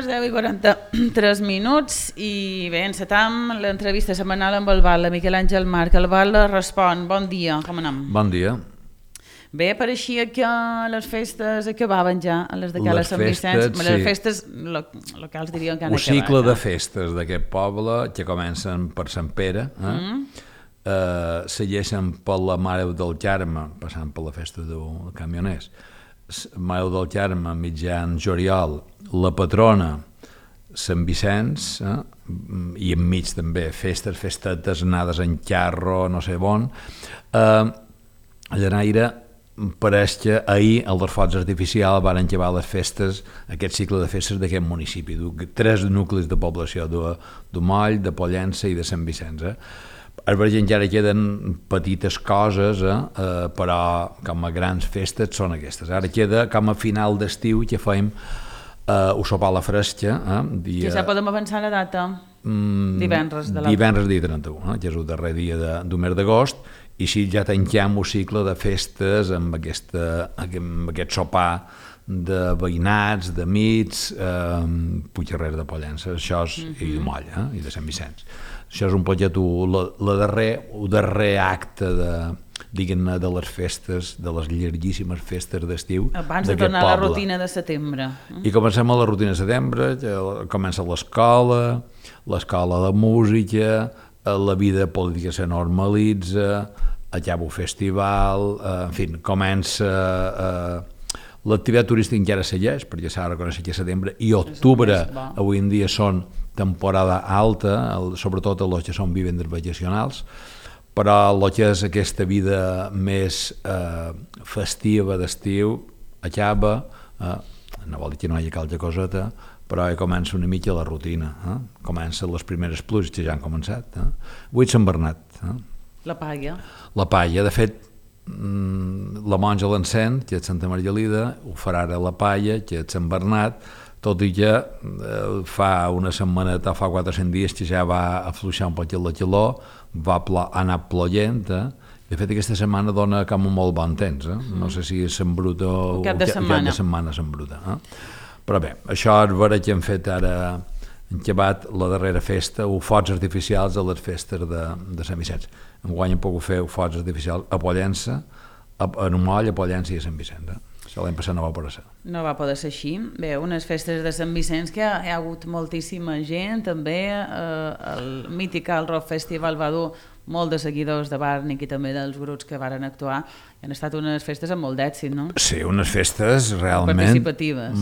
les 10:43 i bé, encetam l'entrevista setmanal amb el Val, Miquel Àngel Marc. El Val respon. Bon dia, com anem? Bon dia. Bé, pareixia que les festes acabaven ja, a les de Cala Sant Vicenç. Sí. Les festes locals dirien que han acabat. Un cicle de festes d'aquest poble que comencen per Sant Pere, segueixen per la Mare del Carme, passant per la festa de camioners, Mare del Carme, mitjan juliol, la patrona, Sant Vicenç, i enmig també festetes anades en carro, no sé on. Llanaire, pareix que ahir els focs artificials van acabar les festes, aquest cicle de festes d'aquest municipi, 3 nuclis de població, d'Omoll, de Pollença i de Sant Vicenç. A Verge encara queden petites coses, però com a grans festes són aquestes. Ara queda com a final d'estiu que fem un sopar a la fresca. Ja podem avançar la data? Divendres dia 31, que és el darrer dia del mes d'agost, i així ja tanquem un cicle de festes amb aquest sopar de veïnats, d'amics, Puigcerrer de Pollença, això és, i de Moll, i de Sant Vicenç. Això és un poquet el darrer acte diguem-ne de les festes, de les llarguíssimes festes d'estiu d'aquest poble. Abans de tornar a la rutina de setembre. I comencem a la rutina de setembre, comença l'escola de música, la vida política se normalitza, acaba el festival, en fi, comença... L'activitat turística encara segueix, perquè s'ha de reconèixer que setembre i octubre avui en dia són temporada alta, sobretot els que són vivendes vacacionals, però el que és aquesta vida més festiva d'estiu acaba, no vol dir que no hi hagi calca coseta, però ja comença una mica la rutina, comencen les primeres pluges que ja han començat. Avui és Sant Bernat. La palla. La palla, de fet, la monja l'encén, que és Santa Margalida, ho farà ara la palla, que és Sant Bernat, tot i que fa una setmaneta, fa 400 dies que ja va afluixar un poc la calor, va anar ploient, de fet aquesta setmana dona com un molt bon temps, no sé si és s'embruta o cap de setmana s'embruta. Però bé, això és vera que hem fet ara, hem acabat la darrera festa, o focs artificials a les festes de Sant Vicenç. Enguany hem pogut fer focs artificials a Pollença, a Omoll, a Pollença i a Sant Vicenç. L'any passat no va poder ser. No va poder ser així. Bé, unes festes de Sant Vicenç que hi ha hagut moltíssima gent, també el mític Rock Festival va dur molt de seguidors de Bàrnic i també dels grups que varen actuar. Han estat unes festes amb molt d'èxit, no? Sí, unes festes realment participatives,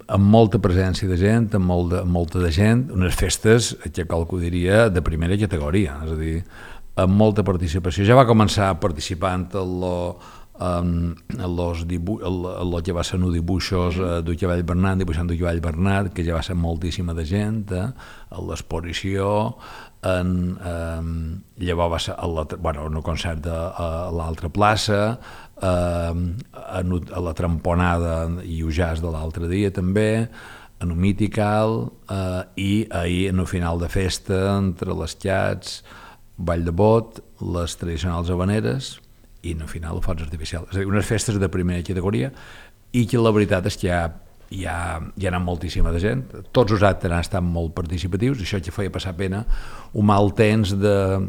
amb molta presència de gent, amb molta de gent, unes festes que qualcú diria de primera categoria, és a dir, amb molta participació. Ja va començar participant el que va ser en dibuixos d'Ucavall Bernat, dibuixant d'Ucavall Bernat, que ja va ser moltíssima de gent, a l'exposició, llavors va ser un concert a l'altra plaça, a la tramponada i el jazz de l'altre dia també, en un mitical, i ahir en el final de festa, entre les xats, ball de bot, les tradicionals habaneres i en el final el focs artificial. És a dir, unes festes de primera categoria i que la veritat és que hi ha anat moltíssima de gent. Tots els actes han estat molt participatius, això que feia passar pena un mal temps de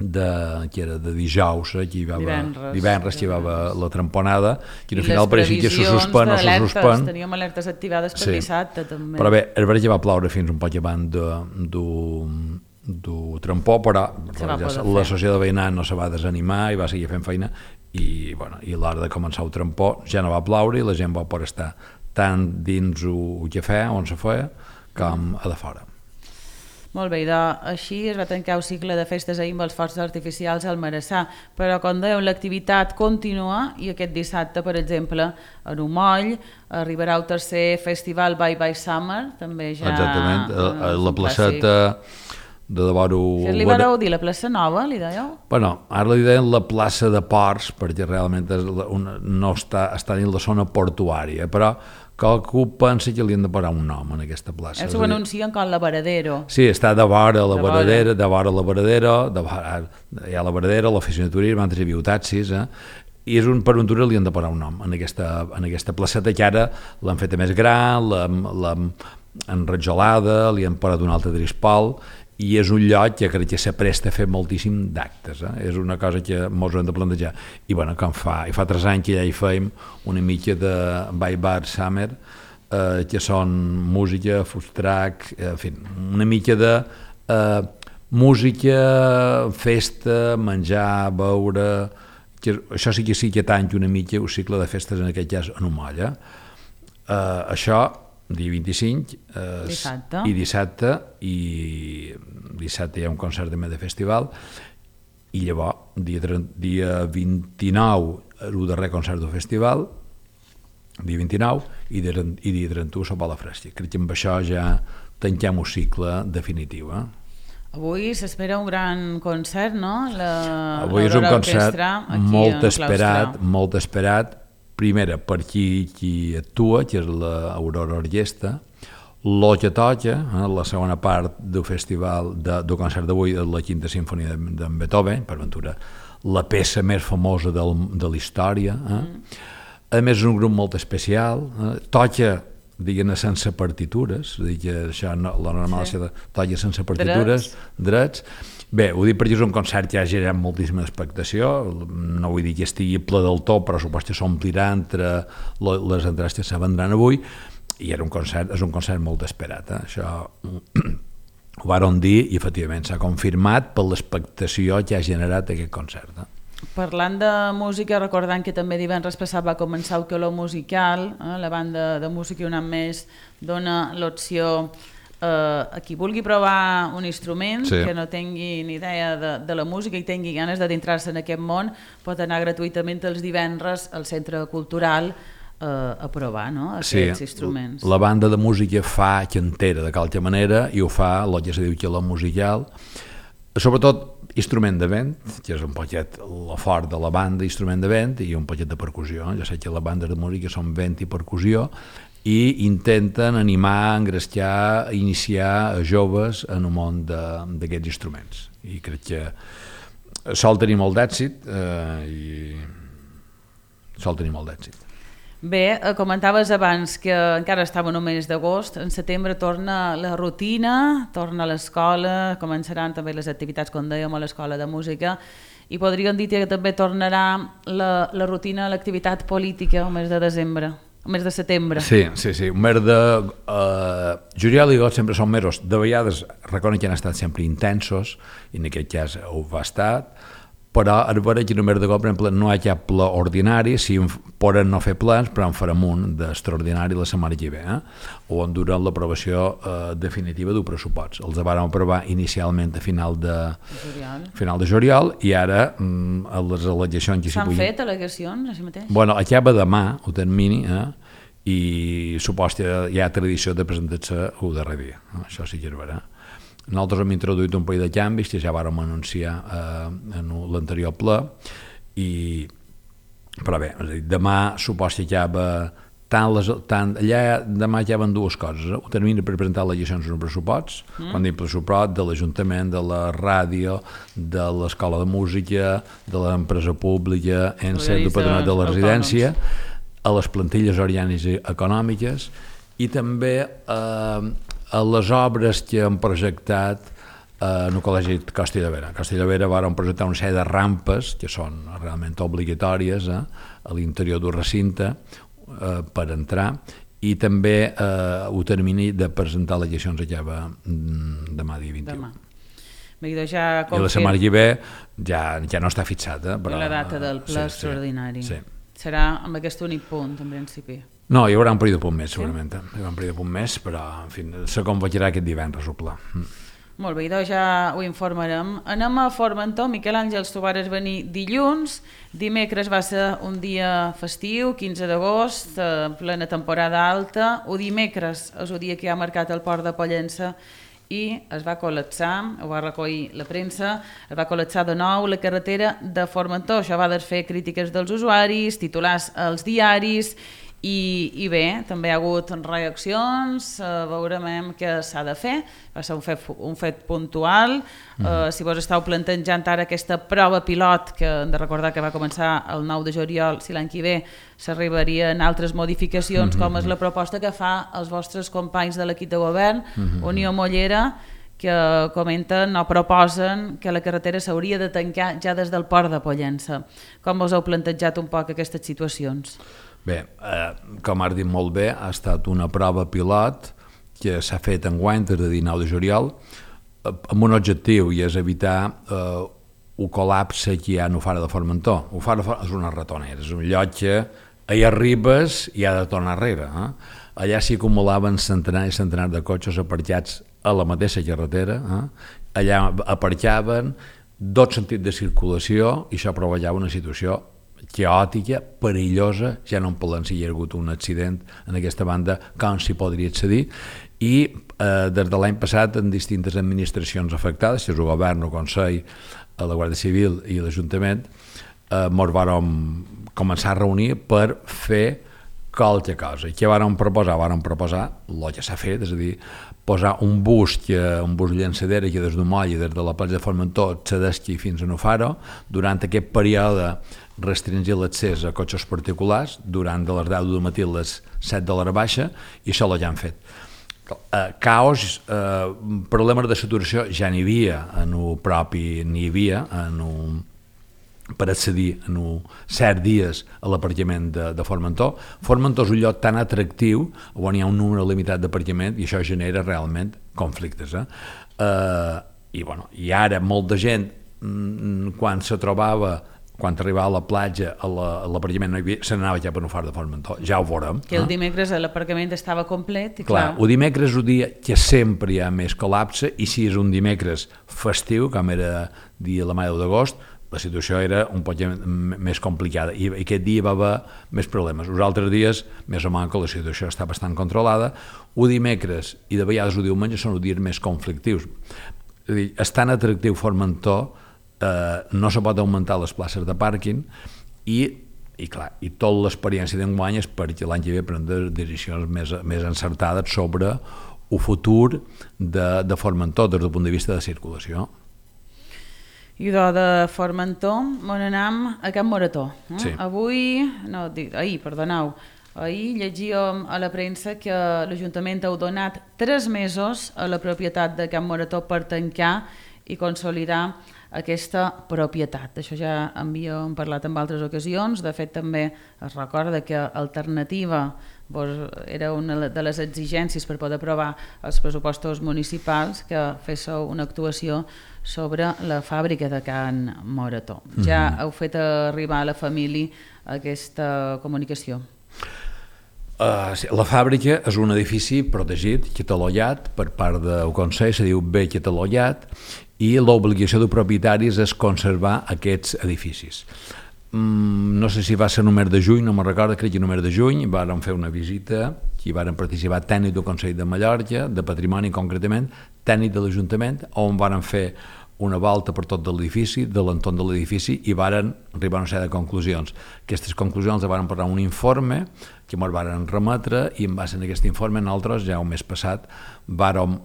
dijous, divendres que hi va la tramponada, que al final pareixia que se suspèn o se suspèn. Teníem alertes activades per dissabte també. Però bé, el verge va ploure fins un poc abans du trampó, però la societat veïnal no se va desanimar i va seguir fent feina i a l'hora de començar el trampó ja no va ploure i la gent va poder estar tant dins el cafè on se feia com a de fora. Molt bé, així es va tancar el cicle de festes ahir amb els focs artificials al Marassà, però com dèiem l'activitat continua i aquest dissabte, per exemple, a Omoll arribarà el tercer festival Bye Bye Summer, també ja... Exactament, a la placeta de Devoro... Li vareu dir la plaça Nova, li dèieu? Bueno, ara li deien la plaça de Ports, perquè realment no està dins la zona portuària, però qualcú pensa que li han de parar un nom en aquesta plaça. Ells ho anuncien com la Varadero. Sí, està de vora la Varadero, hi ha la Varadero, l'oficina de turisme, antes hi havia taxis, i és per un túnel li han de parar un nom en aquesta placeta que ara l'han fet més gran, enrajolada, li han parat un altre trispal, i és un lloc que crec que s'apresta a fer moltíssim d'actes. És una cosa que ens hem de plantejar. I bueno, fa 3 anys que ja hi fèiem una mica de By Bar Summer, que són música, food truck, en fi, una mica de música, festa, menjar, beure, que això sí que tanca una mica el cicle de festes, en aquest cas en un moll. Això, dia 25 dissabte. i dissabte hi ha un concert també de festival, i llavors dia 29 el darrer concert del festival, dia 29, i dia 31 sopar a la fresca. Crec que amb això ja tanquem el cicle definitiu. Avui s'espera un gran concert, no? Avui és un concert molt esperat, primera per qui actua, que és l'Aurora Orquestra, lo que toca, la segona part del festival, del concert d'avui, la quinta sinfonia d'en Beethoven, per ventura la peça més famosa de la història. A més, és un grup molt especial, toca, diguem-ne, sense partitures, que això la normal és toca sense partitures, drets. Bé, ho dic perquè és un concert que ha generat moltíssima expectació, no vull dir que estigui ple del tot, però suposo que s'omplirà entre les entrades que se vendran avui, i és un concert molt esperat. Això ho vàrem dir i efectivament s'ha confirmat per l'expectació que ha generat aquest concert. Parlant de música, recordant que també divendres passat va començar el Calor Musical, la banda de música i un any més dona l'opció a qui vulgui provar un instrument, que no tingui ni idea de la música i tingui ganes d'adentrar-se en aquest món, pot anar gratuïtament els divendres al Centre Cultural a provar aquests instruments. La banda de música fa cantera de qualque manera i ho fa el que se diu que la musical, sobretot instrument de vent, que és un poquet la fort de la banda, instrument de vent i un poquet de percussió. Ja sé que les bandes de música són vent i percussió i intenten animar, engrescar, iniciar joves en el món d'aquests instruments. I crec que sol tenir molt d'èxit Bé, comentaves abans que encara estava en el mes d'agost, en setembre torna la rutina, torna l'escola, començaran també les activitats, com dèiem, a l'escola de música, i podríem dir que també tornarà la rutina, l'activitat política el mes de desembre, el mes de setembre. Sí, el mes de juliol i agost sempre són mesos, de vegades reconec que han estat sempre intensos, i en aquest cas ho va estar, però és vera que només de cop, per exemple, no hi ha cap ple ordinari, si poden no fer plans, però en farem un d'extraordinari la setmana que ve, on durant l'aprovació definitiva del pressupost. Els vam aprovar inicialment a final de juliol i ara a les al·legacions... S'han fet al·legacions així mateix? Bueno, acaba demà el termini i suposo que hi ha tradició de presentar-se el darrer dia. Això sí que és vera. Nosaltres hem introduït un parell de canvis que ja vàrem anunciar en l'anterior ple, però bé, demà suposo que acaba demà acaben dues coses, el termini per presentar les llegions en pressupost, quan dic pressupost de l'Ajuntament, de la ràdio, de l'Escola de Música, de l'empresa pública, del Patronat de la Residència, a les plantilles orgàniques i econòmiques, i també a les obres que han projectat en el Col·legi Costa i Llobera. A Costa i Llobera van projectar una sèrie de rampes que són realment obligatòries a l'interior del recinte per entrar, i també el termini de presentar les llegions acaba demà dia 21. I la setmana que ve ja no està fixada. La data del ple extraordinari. Serà amb aquest únic punt, en principi. No, hi haurà un període de punt més, segurament. Hi haurà un període de punt més, però, en fi, se convocarà aquest divendres el pla. Molt bé, doncs ja ho informarem. Anem a Formentor. Miquel Àngels, tu vares venir dilluns. Dimecres va ser un dia festiu, 15 d'agost, plena temporada alta. O dimecres és el dia que ha marcat el port de Pollença i es va col·lapsar, ho va recollir la premsa, es va col·lapsar de nou la carretera de Formentor. Això va desfer crítiques dels usuaris, titulars als diaris, I bé, també hi ha hagut reaccions, veurem què s'ha de fer, va ser un fet puntual. Si vos estàu plantejant ara aquesta prova pilot, que hem de recordar que va començar el 9 de juliol, si l'any que ve s'arribarien altres modificacions, com és la proposta que fa els vostres companys de l'equip de govern, Unió Mollera, que comenten o proposen que la carretera s'hauria de tancar ja des del port de Pollença. Com vos heu plantejat un poc aquestes situacions? Bé, com has dit molt bé, ha estat una prova pilot que s'ha fet enguany des de 19 de juliol amb un objectiu, i és evitar un col·lapse que hi ha en Ufara de Formentor. Ufara és una ratonera, és un lloc que hi arribes i ha de tornar enrere. Allà s'hi acumulaven centenars i centenars de cotxes aparcats a la mateixa carretera. Allà aparcaven, dos sentits de circulació, i això provocava una situació caòtica, perillosa. Ja no en parlem si hi ha hagut un accident en aquesta banda, com s'hi podria accedir, i des de l'any passat en distintes administracions afectades, que és el govern, el Consell, la Guàrdia Civil i l'Ajuntament, ens vàrem començar a reunir per fer qualque cosa. I què vàrem proposar? Vàrem proposar el que s'ha fet, és a dir, posar un bus llançadera que des d'Umoll i des de la platja de Formentor s'adesqui fins a Nufaro. Durant aquest període restringir l'accés a cotxes particulars durant de les 10 del matí a les 7 de l'hora baixa, i això ja han fet. Caos, problemes de saturació ja n'hi havia, per accedir en certs dies a l'aparcament de Formentor. Formentor és un lloc tan atractiu on hi ha un número limitat d'aparcament, i això genera realment conflictes. I ara molta gent, quan se trobava, quan arribava a la platja, a l'aparcament no hi havia, se n'anava ja per Ufara de Formentor, ja ho veurem. Que el dimecres l'aparcament estava complet. I clar, el dimecres és un dia que sempre hi ha més col·lapse, i si és un dimecres festiu, com era dia la Mare d'agost, la situació era un poc més complicada, i aquest dia hi va haver més problemes. Els altres dies, més o menys, la situació està bastant controlada. Un dimecres i de vegades un diumenge són els dies més conflictius. És tan atractiu Formentor, no se pot augmentar les places de pàrquing, i tota l'experiència d'enguany és perquè l'any que ve prendre decisions més encertades sobre el futur de Formentor des del punt de vista de circulació. I de Formentor on anem a Can Morató. Sí. Ahir llegíem a la premsa que l'Ajuntament ha donat 3 mesos a la propietat de Can Morató per tancar i consolidar aquesta propietat. Això ja havíem parlat en altres ocasions. De fet, també es recorda que Alternativa era una de les exigències per poder aprovar els pressupostos municipals, que féssiu una actuació sobre la fàbrica de Can Morató. Ja heu fet arribar a la família aquesta comunicació? La fàbrica és un edifici protegit, catalogat per part del Consell, se diu bé catalogat, i l'obligació de propietaris és conservar aquests edificis. No sé si va ser el mes de juny, no me'n recordo, crec que el mes de juny vàrem fer una visita, hi varen participar tècnic del Consell de Mallorca, de Patrimoni concretament, tècnic de l'Ajuntament, on varen fer una volta per tot de l'edifici, de l'entorn de l'edifici, i varen arribar a una sèrie de conclusions. Aquestes conclusions les varen posar un informe que ens varen remetre, i en base a aquest informe nosaltres ja el mes passat vàrem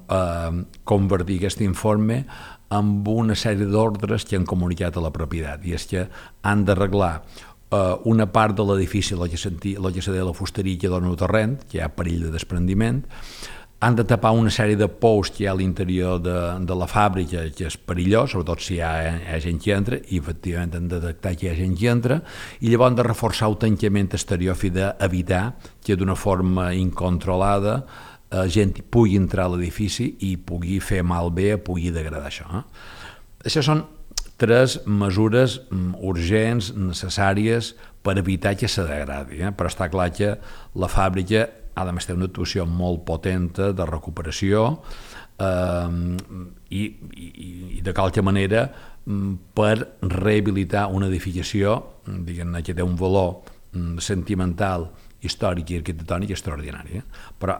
convertir aquest informe amb una sèrie d'ordres que han comunicat a la propietat, i és que han d'arreglar una part de l'edifici, el que se deia la fusteria que dona el terreny, que hi ha perill de desprendiment, han de tapar una sèrie de pous que hi ha a l'interior de la fàbrica, que és perillós, sobretot si hi ha gent que entra, i efectivament han de detectar que hi ha gent que entra, i llavors han de reforçar el tancament exterior a fi d'evitar que d'una forma incontrolada gent pugui entrar a l'edifici i pugui fer malbé, pugui degradar això. Això són 3 mesures urgents, necessàries, per evitar que se degradi, però està clar que la fàbrica ha de fer una actuació molt potenta de recuperació i de qualque manera per rehabilitar una edificació, diguem-ne, que té un valor sentimental, històric i arquitectònic extraordinari. Però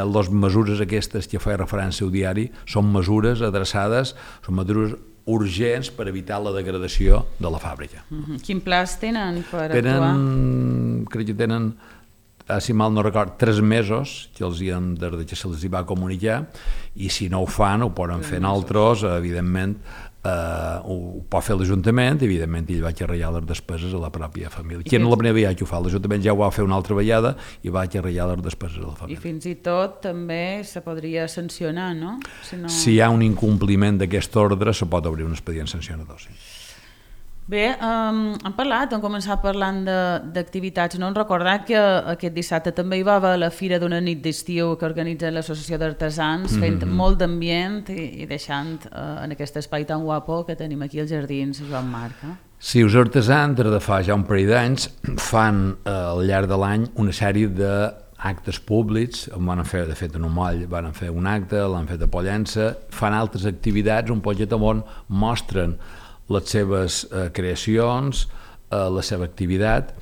les mesures aquestes que feia referència al diari són mesures adreçades, són mesures urgents per evitar la degradació de la fàbrica. Quin pla tenen per actuar? Crec que tenen si mal no record, 3 mesos que els hi hem des que se'ls hi va comunicar, i si no ho fan ho poden fer altres, evidentment ho pot fer l'Ajuntament, evidentment ell va arrellar les despeses a la pròpia família. Qui no la primera vegada que ho fa, l'Ajuntament ja ho va fer una altra vegada i va arrellar les despeses a la família. I fins i tot també se podria sancionar, no? Si hi ha un incompliment d'aquest ordre, se pot obrir un expedient sancionador, sí. Bé, hem començat parlant d'activitats, no? Hem recordat que aquest dissabte també hi va haver la Fira d'una nit d'estiu que organitza l'Associació d'Artesans, fent molt d'ambient i deixant en aquest espai tan guapo que tenim aquí als Jardins Joan Marc. Sí, els artesans des de fa ja un parell d'anys fan al llarg de l'any una sèrie d'actes públics, van fer, de fet en Umoll van fer un acte, l'han fet a Pollença, fan altres activitats, un poquet on mostren les seves creacions, la seva activitat,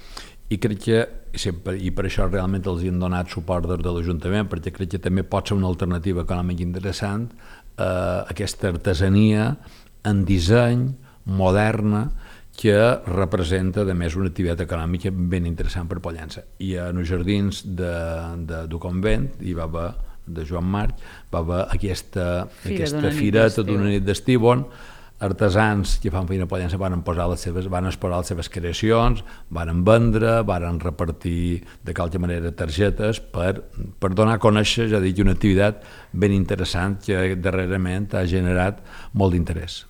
i crec que, i per això realment els hi han donat suport des de l'Ajuntament, perquè crec que també pot ser una alternativa econòmica interessant, aquesta artesania en disseny, moderna, que representa, a més, una activitat econòmica ben interessant per Pollença. I en els jardins du convent hi va haver, de Joan Marc, va haver aquesta fireta d'una nit d'estiu on artesans que fan feina a Pollença van exposar les seves creacions, van vendre, van repartir de qualque manera targetes per donar a conèixer, ja dic, una activitat ben interessant que darrerament ha generat molt d'interès.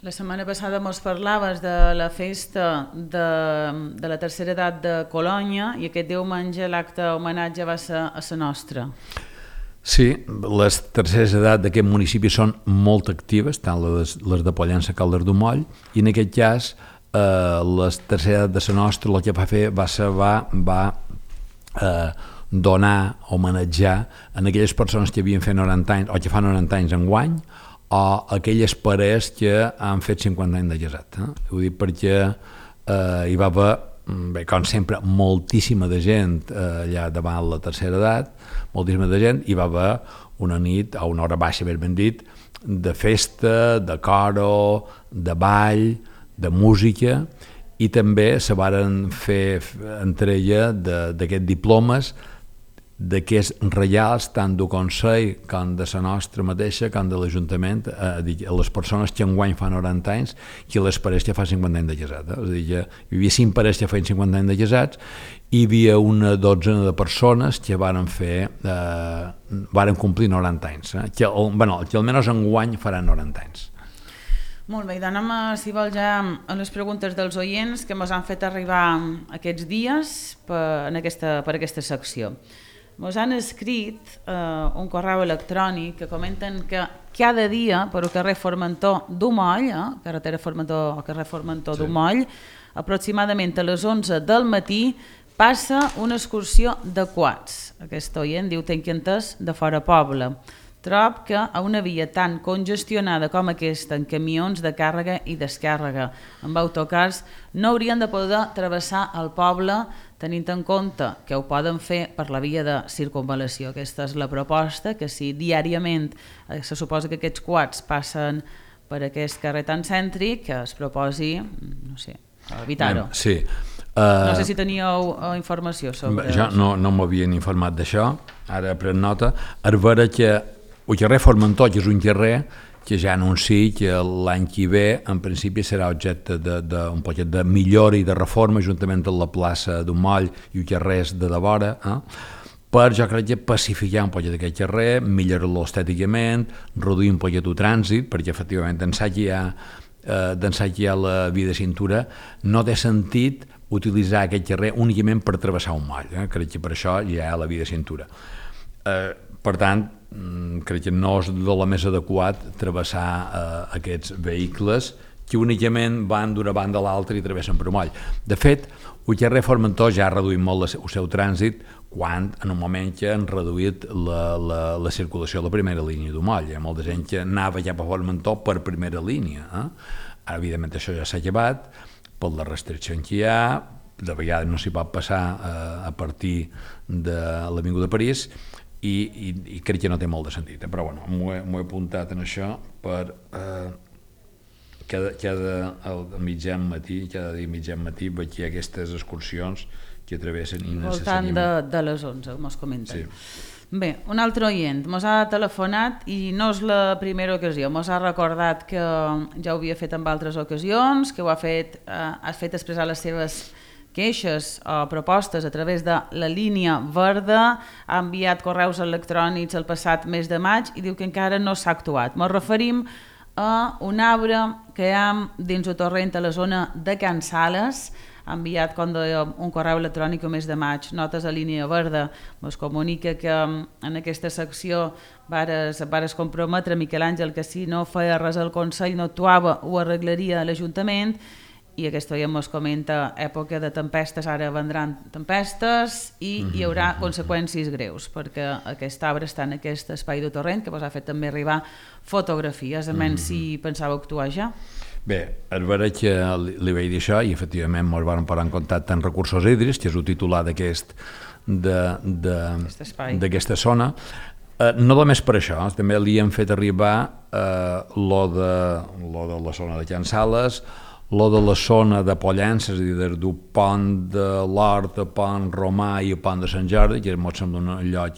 La setmana passada mos parlaves de la festa de la tercera edat de Colònia i aquest diumenge l'acte homenatge va ser a la nostra. Sí, les terceres edats d'aquest municipi són molt actives, tant les de Pollença com les d'Umoll, i en aquest cas les terceres edats de la nostra el que va fer va donar, homenatjar en aquelles persones que havien fet 90 anys o que fan 90 anys enguany, o aquelles parelles que han fet 50 anys de casat. Ho dic perquè hi va haver, com sempre, moltíssima de gent allà davant la tercera edat, moltíssima de gent, hi va haver una nit, o una hora baixa, ben dit, de festa, de coro, de ball, de música, i també se varen fer entrega d'aquests diplomes d'aquests reials, tant del Consell com de la nostra mateixa, com de l'Ajuntament, a les persones que enguany fan 90 anys i les parelles que fan 50 anys de casat. És a dir, hi havia 5 parelles que feien 50 anys de casats i hi havia una dotzena de persones que varen complir 90 anys, que almenys enguany faran 90 anys. Molt bé, i anem, si vol, ja a les preguntes dels oients que ens han fet arribar aquests dies per aquesta secció. Ens han escrit un correu electrònic que comenten que cada dia per al carrer Formentor d'Umoll, carretera Formentor o carrer Formentor d'Umoll, aproximadament a les 11 del matí passa una excursió de quads. Aquest oient diu tenc entès de fora poble. Trob que a una via tan congestionada com aquesta, en camions de càrrega i descàrrega, amb autocars, no haurien de poder travessar el poble tenint en compte que ho poden fer per la via de circunvalació. Aquesta és la proposta, que si diàriament se suposa que aquests quads passen per aquest carrer tan cèntric, que es proposi, no sé, evitar-ho. Sí. No sé si teníeu informació sobre això. Jo no m'havien informat d'això, ara pren nota. A veure que el carrer Formentor, que és un carrer que ja anuncia que l'any que ve en principi serà objecte d'un poquet de millora i de reforma juntament amb la plaça d'Umoll i els carrers de vora, per, jo crec que pacificar un poquet aquest carrer, millorar-lo estèticament, reduir un poquet el trànsit, perquè efectivament d'ençà que hi ha la via de cintura no té sentit utilitzar aquest carrer únicament per travessar un moll, crec que per això hi ha la via de cintura. Per tant, crec que no és de la més adequat travessar aquests vehicles que únicament van d'una banda a l'altra i travessen per moll. De fet, el carrer Formentor ja ha reduït molt el seu trànsit quan en un moment que han reduït la circulació a la primera línia d'Umoll. Hi ha molta gent que anava cap a Formentor per primera línia. Ara, evidentment, això ja s'ha llevat per les restriccions que hi ha, de vegades no s'hi pot passar a partir de l'Avinguda de París, i crec que no té molt de sentit, però bueno, m'ho he apuntat en això al mitjan matí, cada dia mitjan matí veig que hi ha aquestes excursions que travessen innecessàriament. Voltant de les 11, mos comenten. Sí. Bé, un altre oient mos ha telefonat i no és la primera ocasió, mos ha recordat que ja ho havia fet en altres ocasions, que ha fet expressar les seves queixes o propostes a través de la línia verda, ha enviat correus electrònics el passat mes de maig i diu que encara no s'ha actuat. Ens referim a un arbre que hi ha dins el torrent a la zona de Can Sales. Ha enviat, com dèiem, un correu electrònic el mes de maig, notes a línia verda, ens comunica que en aquesta secció vares comprometre Miquel Àngel que si no feia res el Consell no actuava ho arreglaria l'Ajuntament, i aquest dia ens comenta època de tempestes, ara vendran tempestes i hi haurà conseqüències greus, perquè aquest arbre està en aquest espai de torrent que vos ha fet també arribar fotografies, a menys si pensava actuar ja. Bé, és vera que li vaig dir això i efectivament ens vam posar en contacte amb Recursos Hídrics, que és el titular d'aquesta zona. No només per això, també li hem fet arribar lo de la zona de Can Sales, lo de la zona de Pollença, és a dir, des del pont de l'Hort, el pont Romà i el pont de Sant Jordi, que ens sembla un lloc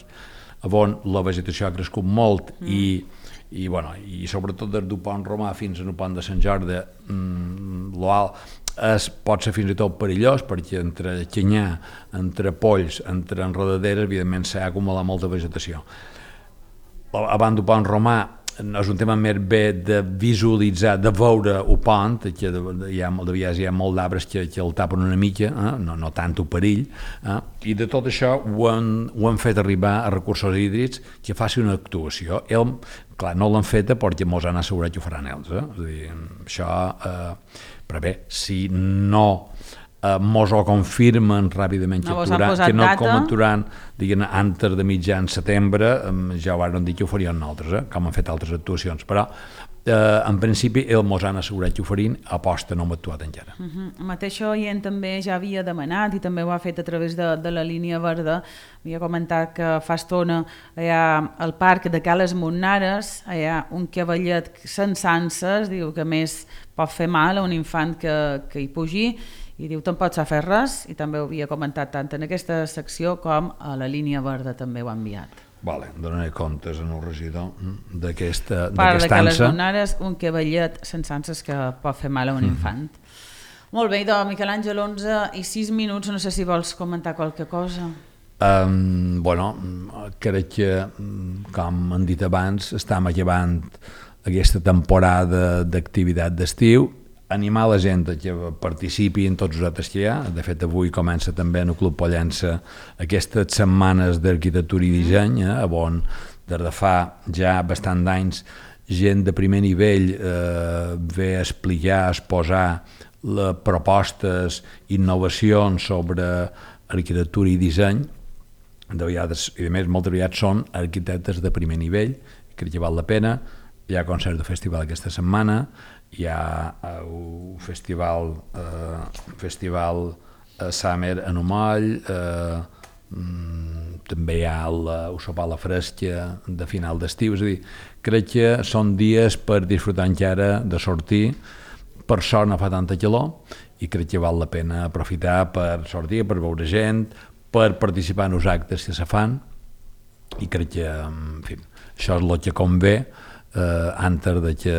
on la vegetació ha crescut molt i sobretot des del pont Romà fins al pont de Sant Jordi pot ser fins i tot perillós, perquè entre canyar, entre polls, entre enredaderes, evidentment s'ha acumulat molta vegetació. Abans del pont Romà és un tema més bé de visualitzar, de veure el pont, que de vegades hi ha molt d'arbres que el tapen una mica, no tant el perill, i de tot això ho hem fet arribar a Recursos Hídrics que faci una actuació. Clar, no l'han feta perquè mos han assegurat que ho faran ells. És a dir, això, però bé, si no mos ho confirmen ràpidament que no comentaran antes de mitjan setembre, ja ho van dir que ho farien nosaltres, com han fet altres actuacions, però en principi el mos han assegurat que ho farien, aposta no hem actuat encara. El mateix oient també ja havia demanat i també ho ha fet a través de la línia verda, havia comentat que fa estona hi ha al parc de Cales Monnares, hi ha un cavallet sense anses, diu que més pot fer mal a un infant que hi pugi, i diu tampoc s'ha fet res, i també ho havia comentat tant en aquesta secció com a la línia verda també ho ha enviat. Vale, donaré comptes en el regidor d'aquesta ansa. Part de Cales Monnares, un cavallet sense anses que pot fer mal a un infant. Molt bé, doncs, Miquel Àngel, 11:06, no sé si vols comentar qualque cosa. Bueno, crec que, com han dit abans, estem acabant aquesta temporada d'activitat d'estiu, animar la gent que participi en tots els actes que hi ha. De fet, avui comença també en el Club Pollença aquestes setmanes d'arquitectura i disseny, on des de fa ja bastant d'anys gent de primer nivell ve a explicar, a exposar propostes, innovacions sobre arquitectura i disseny. De vegades, i a més, moltes vegades són arquitectes de primer nivell, crec que val la pena. Hi ha concert de festival aquesta setmana, hi ha un festival Summer en Umoll, també hi ha el sopar a la fresca de final d'estiu, és a dir, crec que són dies per disfrutar encara de sortir, per sort no fa tanta calor i crec que val la pena aprofitar per sortir, per veure gent, per participar en els actes que se fan, i crec que, en fi, això és el que convé antes de que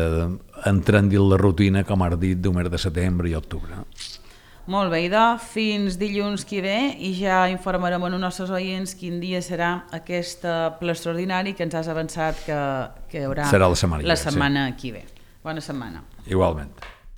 entrem dins la rutina, com has dit, del mes de setembre i octubre. Molt bé, idò, fins dilluns que ve i ja informarem a els nostres oients quin dia serà aquest ple extraordinari que ens has avançat que hi haurà serà la setmana que ve. Bona setmana. Igualment.